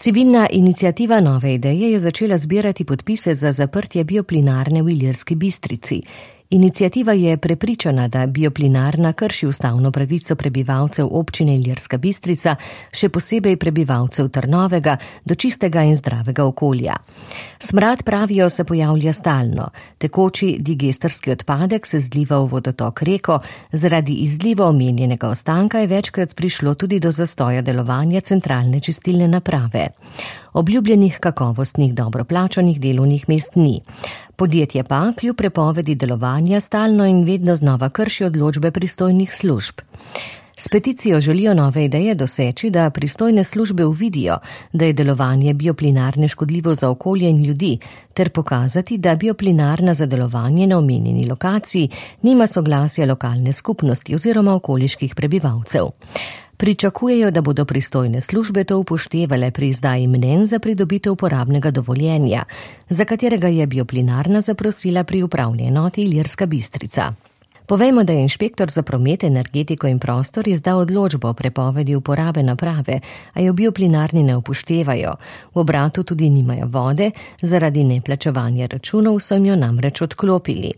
Civilna iniciativa Nove ideje je začela zbirati podpise za zaprtje bioplinarne v Ilirski Bistrici. Iniciativa je prepričana, da bioplinarna krši ustavno pravico prebivalcev občine Ilirska Bistrica, še posebej prebivalcev Trnovega, do čistega in zdravega okolja. Smrad, pravijo, se pojavlja stalno. Tekoči digesterski odpadek se zliva v vodotok reko, zaradi izliva omenjenega ostanka je večkrat prišlo tudi do zastoja delovanja centralne čistilne naprave. Obljubljenih kakovostnih, dobro plačanih delovnih mest ni. Podjetje pa kljub prepovedi delovanja stalno in vedno znova krši odločbe pristojnih služb. S peticijo želijo Nove ideje doseči, da pristojne službe uvidijo, da je delovanje bioplinarne škodljivo za okolje in ljudi, ter pokazati, da bioplinarna za delovanje na omenjeni lokaciji nima soglasja lokalne skupnosti oziroma okoliških prebivalcev. Pričakujejo, da bodo pristojne službe to upoštevale pri izdaji mnenj za pridobitev uporabnega dovoljenja, za katerega je bioplinarna zaprosila pri upravni enoti Ilirska Bistrica. Povejmo, da je inšpektor za promet, energetiko in prostor izdal odločbo o prepovedi uporabe naprave, a jo bioplinarni ne upoštevajo. V obratu tudi nimajo vode, zaradi neplačevanja računov so jo namreč odklopili.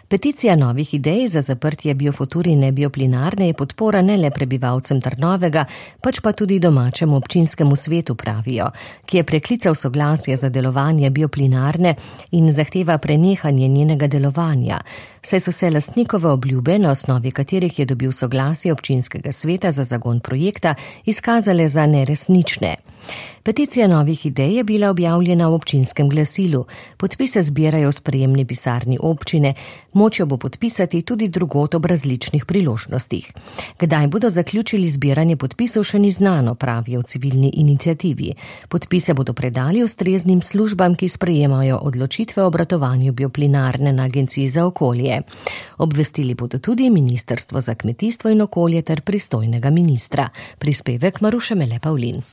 Peticija Novih idej za zaprtje Biofuturine bioplinarne je podpora ne le prebivalcem Trnovega, pač pa tudi domačemu občinskemu svetu, pravijo, ki je preklical soglasje za delovanje bioplinarne in zahteva prenehanje njenega delovanja, saj so se lastnikove obljube, na osnovi katerih je dobil soglasje občinskega sveta za zagon projekta, izkazale za neresnične. Peticija Novih idej je bila objavljena v občinskem glasilu. Podpise zbirajo v sprejemni pisarni občine, moč jo bo podpisati tudi drugod ob različnih priložnostih. Kdaj bodo zaključili zbiranje podpisov, še ni znano, pravijo v civilni iniciativi. Podpise bodo predali ustreznim službam, ki sprejemajo odločitve o obratovanju bioplinarne na Agenciji za okolje. Obvestili bodo tudi Ministrstvo za kmetijstvo in okolje ter pristojnega ministra. Prispevek Maruše Mele Pavlin.